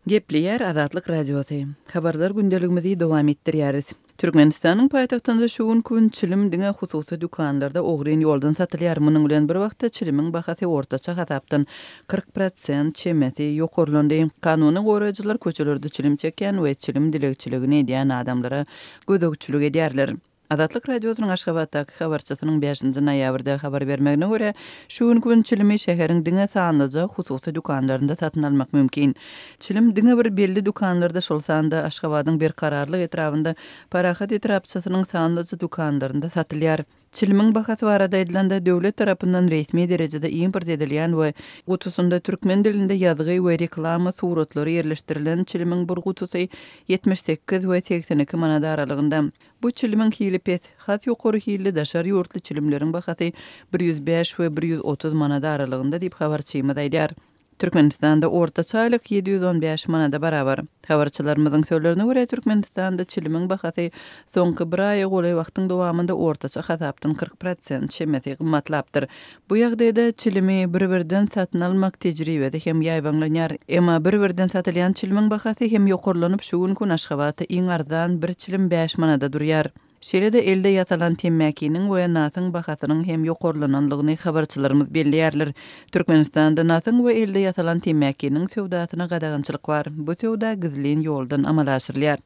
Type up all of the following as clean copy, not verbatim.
Gepleýär Azatlyk Radiosy. Habarlar gündeligimizi dowam etdirýäris. Türkmenistanyň paýtagtynda şu günki gün çilim diňe hususy dükanlarda ogryn ýoldan satylýar. Munuň bilen bir wagtda çilimiň bahasy ortaça hasapdan 40 prosent çemesi ýokarlandy. Kanuny goraýjylar köçelerde çilim çekýän we çilim dilegçiligini edýän adamlara gözegçilik edýärler. Azatlyk Radiosynyň Aşgabatdaky habarçysynyň bäşinji noýabrda habar bermegine görä, şu günki gün çilimi şäheriň diňe sanlyja hususy dükanlarynda satyn almak mümkin. Çilim diňe bir belli dükanlarda, şol sanda Aşgabadyň Berkararlyk etrabynda Parahat etrapçasynyň sanlyja dükanlarynda satylýar. Çilimiň bahasy barada aýdylanda, döwlet tarapyndan resmi derejede import edilýän we gutusynda türkmen dilinde ýazgy we reklama suratlary ýerleşdirilen çilimiň bir gutusy 78 we 82 manat aralygynda. Bu çilimiň hili pes, has ýokary hilli daşary ýurtly çilimleriň bahasy 105 we 130 manat aralygynda diýip, habarçymyz aýdýar. Türkmenistanda ortaça aýlyk 715 manada barabar. Habarçylarymyzyň sözlerine görä, Türkmenistanda çilimiň bahasy soňky bir aýa golaý wagtyň dowamynda ortaça hasapdan 40 prosent çemesi gymmatlapdyr. Bu ýagdaýda çilimi bir-birden satyn almak tejribesi hem ýaýbaňlanýar. Emma bir-birden satylýan çilimiň bahasy hem ýokarlanyp, şu günki gün Aşgabatda iň arzan bir çilim bäş manada durýar. Şeýle-de elde ýasalan temmäkiniň we nasyň bahasynyň hem ýokarlananlygyny habarçylarymyz belleýärler. Türkmenistanda nasyň we elde ýasalan temmäkiniň söwdasyna gadagançylyk bar. Bu söwda gizlin ýoldan amala aşyrylýar.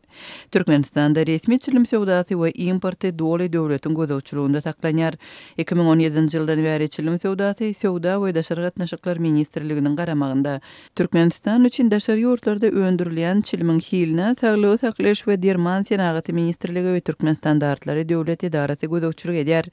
Türkmenistanda resmi çilim söwdasy we importy doly döwletiň gözegçiliginde saklanýar. 2017-nji ýyldan bäri çilim söwdasy Söwda we daşary gatnaşyklar ministrliginiň garamagynda. Türkmenistan üçin daşary ýurtlarda öndürilýän çilimiň hiline Saglygy saklaýyş we derman senagaty ministrligi we Türkmenstandartlary döwlet edarasy gözegçilik edýär.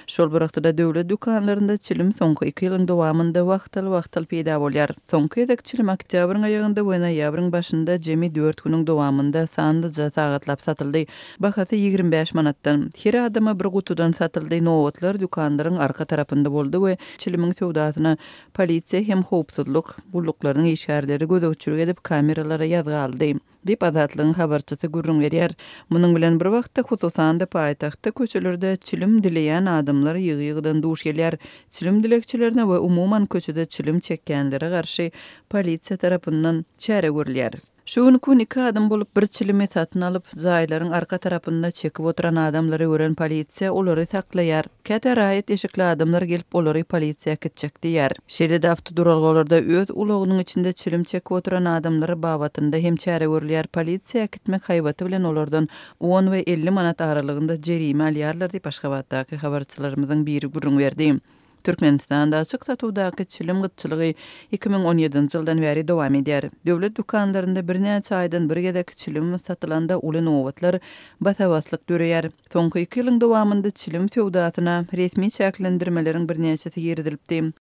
Şol bir wagtda-da döwlet dükanlarynda çilim soňky iki ýylyň dowamynda wagtal-wagtal peýda bolýar. Soňky gezek çilim oktýabryň aýagynda we noýabryň başynda jemi dört günüň dowamynda sanlyja sagatlap satyldy. Bahasy 25 manatdan. Her adama bir gutudan satyldy. Nobatlar dükanlaryň arka tarapynda boldy we çilimiň söwdasyna Polisiýa hem howpsuzlyk gulluklarynyň işgärleri gözegçilik edip, kameralara ýazga aldy, diýip, Azatlygyň habarçysy gürrüň berýär. Munuň bilen bir wagtda, hususan-da, paýtagtda köçelerde çilim dileýän adamlar ýygy-ýygydan duş gelýär. Çilim dilegçilerine we umuman köçede çilim çekýänlere garşy polisiýa tarapyndan çäre görülýär. Şu günki gün iki adam bolup bir çilimi satyn alyp, jaýlaryň arka tarapynda çekip oturan adamlary gören polisiýa olary saklaýar. Käte raýat eşikli adamlar gelip olary polisiýa äkitjek diýýär. Şeýle-de awtoduralgalarda öz ulagynyň içinde çilim çekip oturan adamlar babatynda hem çäre görülýär, polisiýa äkitmek haýbaty bilen olardan on we 50 manat aralygynda jerime alýarlar diýip, Aşgabatdaky habarçylarymyzyň biri gürrüň berdi. Türkmenistanda açyk satuwdaky çilim gytçylygy 2017-nji ýyldan bäri dowam edýär. Döwlet dükanlarynda birnäçe aýdan bir gezek çilim satylanda uly nobatlar, basa-baslyk döreýär. Soňky iki ýylyň dowamynda çilim söwdasyna resmi çäklendirmeleriň birnäçesi girizilipdi.